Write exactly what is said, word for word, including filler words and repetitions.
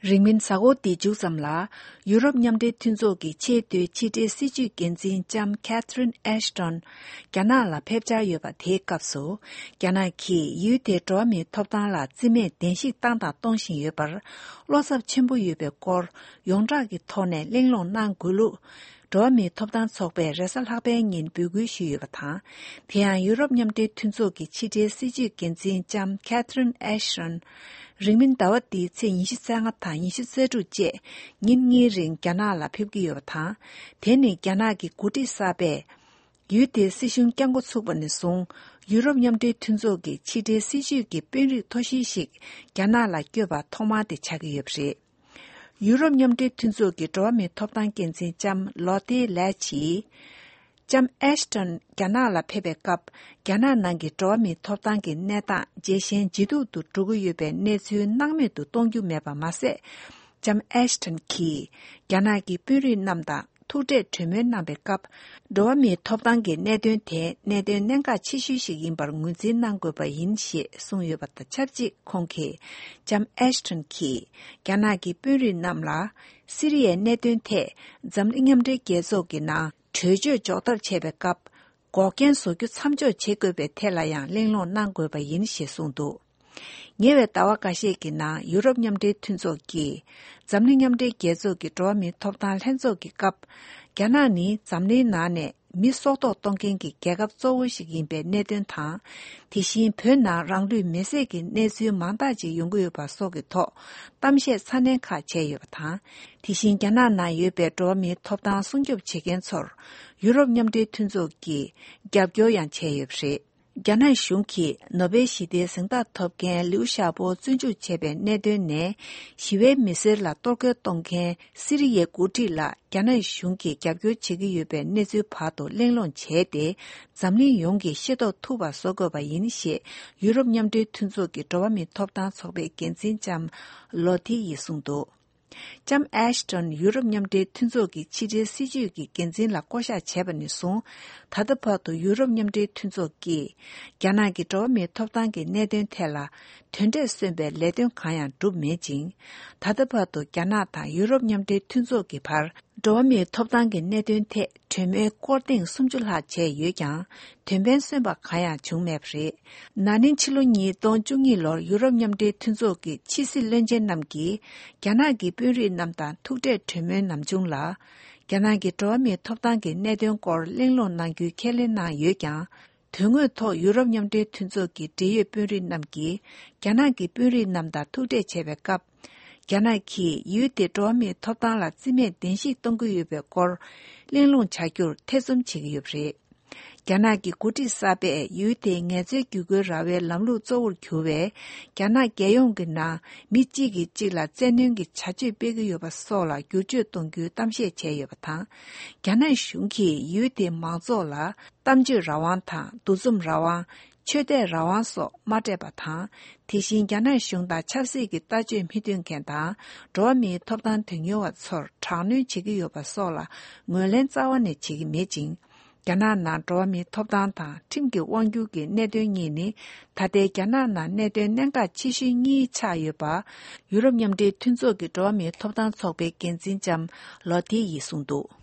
རིང་མིན་གཟའ་འཁོར་འདི་མཇུག་ཙམ་ལ། ཡུ་རོབ་མཉམ་འབྲེལ་མཐུན་ཚོགས་ཀྱི་ཆེས་མཐོའི་ཕྱི་འབྲེལ་སྲིད་ཇུས་འགན་འཛིན་ལྕམ་Catherine Ashton རྒྱ་ནག་ལ་ཕེབས་འཆར་ཡོད་པ་དེའི་སྐབས་སུ། རྒྱ་ནག་གིས་ཡུལ་དེའི་འགྲོ་བ་མིའི་ཐོབ་ཐང་ལ་རྩིས་མེད་བདེན་བཞིག་བཏང་དང་གཏོང་བཞིན་ཡོད་པར། བློ་འཚབ་ཆེན་པོ་ཡོད་པའི་སྐོར་ཡོངས་གྲགས་ཀྱི་ཐོག་ནས་གླེང་སློང་གནང་དགོས་ལུགས། འགྲོ་བ་མིའི་ཐོབ་ཐང་ཚོགས་པས་རེས་གཟའ་ལྷག་པའི་ཉིན་འབོད་སྐུལ་ཞུས་ཡོད་པ་དང་། དེ་ཡང་ཡུ་རོབ་མཉམ་འབྲེལ་མཐུན་ཚོགས་ཀྱི་ཕྱི་འབྲེལ་སྲིད་ཇུས་འགན་འཛིན་ལྕམ་Catherine Ashton རིང་མིན་ཟླ་བ་འདིའི་ཚེས་ཉི་ཤུ་རྩ་ལྔ་དང་ཉི་ཤུ་རྩ་དྲུག་བཅས་ཉིན་གཉིས་རིང་རྒྱ་ནག་ལ་ཕེབས་ཀྱི་ཡོད་པ་དང་། དེ་ནི་རྒྱ་ནག་གི་འགོ་ཁྲིད་གསར་པས་ཡུལ་དེའི་སྲིད་གཞུང་བསྐྱངས་འགོ་ཚུགས་པ་ནས་བཟུང་། ཡུ་རོབ་མཉམ་འབྲེལ་མཐུན་ཚོགས་ཀྱི་ཕྱི་འབྲེལ་སྲིད་ཇུས་ཀྱི་དཔོན་རིགས་མཐོ་ཤོས་ཤིག་རྒྱ་ནག་ལ་བསྐྱོད་པ་ཐོག་མ་དེ་ཆགས་ཀྱི་ཡོད་པ་རེད། ཡུ་རོབ་མཉམ་འབྲེལ་མཐུན་ཚོགས་ཀྱི་འགྲོ་བ་མིའི་ཐོབ་ཐང་འགན་འཛིན་ལྕམ་ལོ་ཏི་ལེ་ཆིས། ལྕམ་ཨེ་ཤི་ཏོན་རྒྱ་ནག་ལ་ཕེབས་པའི་སྐབས། རྒྱ་ནག་ནང་གི་འགྲོ་བ་མིའི་ཐོབ་ཐང་གི་གནས་སྟངས་ཇེ་ཞན་ཇེ་སྡུག་ཏུ་འགྲོ་གི་ཡོད་པའི་གནས་ཚུལ་སྣང་མེད་དུ་གཏོང་རྒྱུ་མེད་པ་མ་ཟད། ལྕམ་ཨེ་ཤི་ཏོན་གྱིས་རྒྱ་ནག་གི་དཔོན་རིགས་རྣམས་དང་ཐུག་འཕྲད་གྲོས་མོལ་གནང་པའི་སྐབས། འགྲོ་བ་མིའི་ཐོབ་ཐང་གི་གནད་དོན་དེ་གནད་དོན་གནད་འགག་ཆེ་ཤོས་ཤིག་ཡིན་པར་ངོས་འཛིན་གནང་དགོས་པ་ཡིན་ཞེས་གསུངས་ཡོད་པ་དང་ཆབས་ཅིག་ཁོང་གིས། ལྕམ་ཨེ་ཤི་ཏོན་གྱིས་རྒྱ་ནག་གི་དཔོན་རིགས་རྣམས་ལ། སི་རི་ཡའི་གནད་དོན་ཐད་འཛམ་གླིང་མཉམ་འབྲེལ་རྒྱལ་ཚོགས་ཀྱི་ནང་གྲོས་ཆོད་འཇོག་ཐབས་བྱས་པའི་སྐབས། འགོག་རྐྱེན་བཟོ་རྒྱུ་མཚམས་འཇོག་བྱེད་དགོས་པའི་ཐད་ལ་ཡང་གླེང་སློང་གནང་དགོས་པ་ཡིན་ཞེས་གསུངས་འདུག་ཉེ་བའི་ཟླ་བ་འགའ་ཤས་ཀྱི་ནང་ཡུ་རོབ་མཉམ་འབྲེལ་མཐུན་ཚོགས་ཀྱིས་འཛམ་གླིང་མཉམ་འབྲེལ་རྒྱལ་ཚོགས་ཀྱི་འགྲོ་བ་མིའི་ཐོབ་ཐང་ལྷན་ཚོགས་ཀྱི་སྐབས། རྒྱ་ནག་ནི་འཛམ་གླིང་ནང་ནས་མི་སྲོག་ཐོག་གཏོང་མཁན་གྱི་རྒྱལ་ཁབ་གཙོ་བོ་ཞིག་ཡིན་པའི་གནད་དོན་དང་། དེ་བཞིན་བོད་ནང་རང་ལུས་མེར་སྲེག་གི་གནས་ཚུལ་མང་དག་ཅིག་ཡོང་གི་ཡོད་པ་སོགས་ཀྱི་ཐོག་གཏམ་བཤད་ཚ་ནན་ཁག་བྱས་ཡོད་པ་དང་། དེ་བཞིན་རྒྱ་ནག་ནང་ཡོད་པའི་འགྲོ་བ་མིའི་ཐོབ་ཐང་སྲུང་སྐྱོབ་བྱེད་མཁན་ཚོར་ཡུ་རོབ་མཉམ་འབྲེལ་མཐུན་ཚོགས་ཀྱིས་རྒྱབ་སྐྱོར་ཡང་བྱས་ཡོད་པ་རེད། རྒྱ་ནག་གཞུང་གིས་ནོ་བེལ་ཞི་བདེའི་གཟེངས་རྟགས་ཐོབ་མཁན་ལིའུ་ཞའོ་པོ་བཙོན་འཇུག་བྱས་པའི་གནད་དོན་ནས། ཞི་བའི་མི་སེར་ལ་གཏོར་རྒོལ་གཏོང་མཁན་སི་རི་ཡའི་འགོ་ཁྲིད་ལ་རྒྱ་ནག་གཞུང་གིས་རྒྱབ་སྐྱོར་བྱེད་ཀྱི་ཡོད་པའི་གནས་ཚུལ་བར་དུ་གླེང་སློང་བྱས་ཏེ། འཛམ་གླིང་ཡོངས་ཀྱིས་ཤེས་རྟོགས་ཐུབ་པ་བཟོ་དགོས་པ་ཡིན་ཞེས་ཡུ་རོབ་མཉམ་འབྲེལ་མཐུན་ཚོགས་ཀྱི་འགྲོ་བ་མིའི་ཐོབ་ཐང་ཚོགས་པའི་འགན་འཛིན་ལྕམ་ལོ་ཐི་ཡིས་གསུངས་འདུག་ལྕམ་ཨེ་ཤི་ཏོན་ཡུ་རོབ་མཉམ་འབྲེལ་མཐུན་ཚོགས་ཀྱི་ཕྱི་འབྲེལ་སྲིད་ཇུས་ཀྱི་འགན་འཛིན་ལ་བསྐོ་གཞག་བྱས་པ་ནས་བཟུང་། ད་ལྟ་བར་དུ་ཡུ་རོབ་མཉམ་འབྲེལ་མཐུན་ཚོགས་ཀྱིས་རྒྱ་ནག་གི་འགྲོ་བ་མིའི་ཐོབ་ཐང་གི་གནད་དོན་ཐད་ལ་དོན་འབྲས་སོན་པའི་ལས་དོན་གང་ཡང་བསྒྲུབས་མེད་ཅིང་། ད་ལྟ་བར་དུ་རྒྱ་ནག་དང་ཡུ་རོབ་མཉམ་འབྲེལ་མཐུན་ཚོགས་ཀྱི་བར། འགྲོ་བ་མིའི་ཐོབ་ཐང་གི་གནད་དོན་ཐད་གྲོས་མོལ་སྐོར་ཐེངས་སུམ་ཅུ་ལྷག་བྱས་ཡོད་ཀྱང་། དོན་ཕན་སོན་པ་གང་ཡང་བྱུང་མེད་པ་རེད། ན་ནིང་ཕྱི་ལོ་ཉིས་སྟོང་བཅུ་གཉིས་ལོར་ཡུ་རོབ་མཉམ་འབྲེལ་མཐུན་ཚོགས་ཀྱི་ཕྱི་སྲིད་བློན་ཆེན་རྣམས་ཀྱིས་རྒྱ་ནག་གི་དཔོན་རིགས་རྣམས་དང་ཐུག་འཕྲད་གྲོས་མོལ་ནམ་བྱུང་ལ། རྒྱ་ནག་གི་འགྲོ་བ་མིའི་ཐོབ་ཐང་གི་གནད་དོན་སྐོར་གླེང་སློང་གནང་རྒྱུའི་ཁས་ལེན་གནང་ཡོད་ཀྱང་། དོན་དངོས་ཐོག་ཡུ་རོབ་མཉམ་འབྲེལ་མཐུན་ཚོགས་ཀྱི་འབྲེལ་ཡོད་དཔོན་རིགས་རྣམས་ཀྱིས་རྒྱ་ནག་གི་དཔོན་རིགས་རྣམས་དང་ཐུག་འཕྲད་བྱས་པའི་སྐབས། རྒྱ་ནག་གིས་ཡུལ་དེའི་འགྲོ་བ་མིའི་ཐོབ་ཐང་ལ་རྩིས་མེད་བདེན་བཞིག་གཏོང་གི་ཡོད་པའི་སྐོར་གླེང་སློང་བྱ་རྒྱུར་ཐེ་ཚོམ་བྱེད་ཀྱི་ཡོད་པ་རེད། རྒྱ་ནག་གི་འགོ་ཁྲིད་གསར་པས་ཡུལ་དེའི་ངལ་རྩོལ་བསྒྱུར་བཀོད་ར་བའི་ལམ་ལུགས་གཙོ་བོར་གྱུར་བའི་རྒྱ་ནག་རྒྱལ་ཡོངས་ཀྱི་ནང་མི་གཅིག་གིས་གཅིག་ལ་བཙན་གནོན་གྱི་བྱ་སྤྱོད་སྤེལ་གྱི་ཡོད་པ་སོགས་ལ་བསྒྱུར་བཅོས་གཏོང་རྒྱུའི་གཏམ་བཤད་བྱས་ཡོད་པ་དང་། རྒྱ་ནག་གཞུང་གིས་ཡུལ་དེའི་མང་ཚོགས་ལ་གཏམ་བརྗོད་རང་དབང་དང་འདུ་འཛོམས་རང་དབང་། ཆོས་དད་རང་དབང་སོགས་མ་སྤྲད་པ་དང་། དེ་བཞིན་རྒྱ་ནག་གཞུང་དང་ཆབ་སྲིད་ཀྱི་ལྟ་སྤྱོད་མི་མཐུན་མཁན་དང་། འགྲོ་བ་མིའི་ཐོབ་ཐང་དོན་གཉེར་བ་ཚོར་དྲག་གནོན་བྱེད་ཀྱི་ཡོད་པ་སོགས་ལ་ངོས་ལེན་རྩ་བ་ནས་བྱེད་ཀྱི་མེད་ཅིང་། རྒྱ་ནག་ནང་འགྲོ་བ་མིའི་ཐོབ་ཐང་དང་ཁྲིམས་ཀྱི་དབང་སྒྱུར་གྱི་གནད་དོན་གཉིས་ནི་ད་ལྟའི་རྒྱ་ནག་ནང་གནད་དོན་གནད་འགག་ཆེ་ཤོས་གཉིས་ཆགས་ཡོད་པ། ཡུ་རོབ་མཉམ་འབྲེལ་མཐུན་ཚོགས་ཀྱི་འགྲོ་བ་མིའི་ཐོབ་ཐང་ཚོགས་པའི་འགན་འཛིན་ལྕམ་ལོ་ཐི་ཡིས་གསུངས་འདུག